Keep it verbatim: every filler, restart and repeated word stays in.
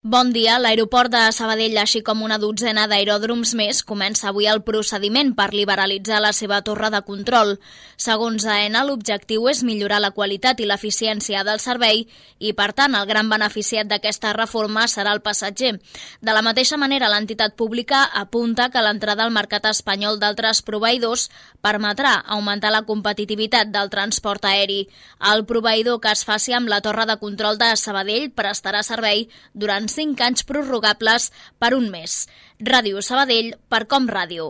Bon dia. L'aeroport de Sabadell, així com una dotzena d'aeròdroms més, comença avui el procediment per liberalitzar la seva torre de control. Segons AENA, l'objectiu és millorar la qualitat i l'eficiència del servei i, per tant, el gran beneficiat d'aquesta reforma serà el passatger. De la mateixa manera, l'entitat pública apunta que l'entrada al mercat espanyol d'altres proveïdors permetrà augmentar la competitivitat del transport aeri. El proveïdor que es faci amb la torre de control de Sabadell prestarà servei durant cinc anys prorrogables per un mes. Ràdio Sabadell per Com Ràdio.